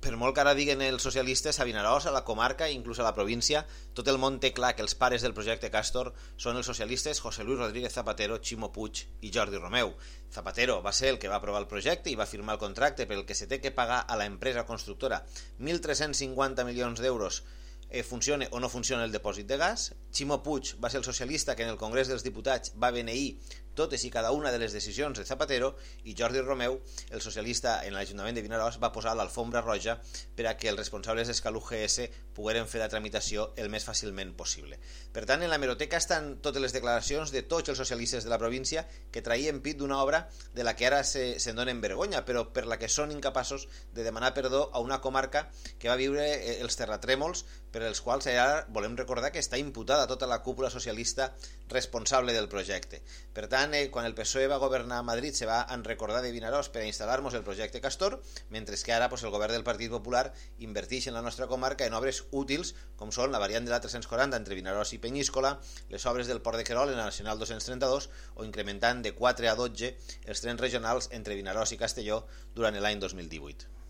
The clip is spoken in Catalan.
per molt que ara diguen els socialistes, a Vinaròs, a la comarca i inclús a la província, tot el món té clar que els pares del projecte Castor són els socialistes José Luis Rodríguez Zapatero, Ximo Puig i Jordi Romeu. Zapatero va ser el que va aprovar el projecte i va firmar el contracte pel que se té que pagar a la empresa constructora 1.350 milions d'euros funcione o no funciona el depòsit de gas. Ximo Puig va ser el socialista que en el Congrés dels Diputats va beneir totes i cada una de les decisions de Zapatero, i Jordi Romeu, el socialista en l'Ajuntament de Vinaròs, va posar l'alfombra roja per a que els responsables d'Escaluc GS pogueren fer la tramitació el més fàcilment possible. Per tant, en la hemeroteca estan totes les declaracions de tots els socialistes de la província que traien pit d'una obra de la que ara se'n donen vergonya, però per la que són incapaços de demanar perdó a una comarca que va viure els terratrèmols, per els quals ara volem recordar que està imputada tota la cúpula socialista responsable del projecte. Per tant, quan el PSOE va governar a Madrid se va recordar de Vinaròs per a instal·lar-nos el projecte Castor, mentre que ara el govern del Partit Popular inverteix en la nostra comarca en obres útils com són la variant de la 340 entre Vinaròs i Penyíscola, les obres del Port de Querol en la Nacional 232 o incrementant de 4 a 12 els trens regionals entre Vinaròs i Castelló durant l'any 2018.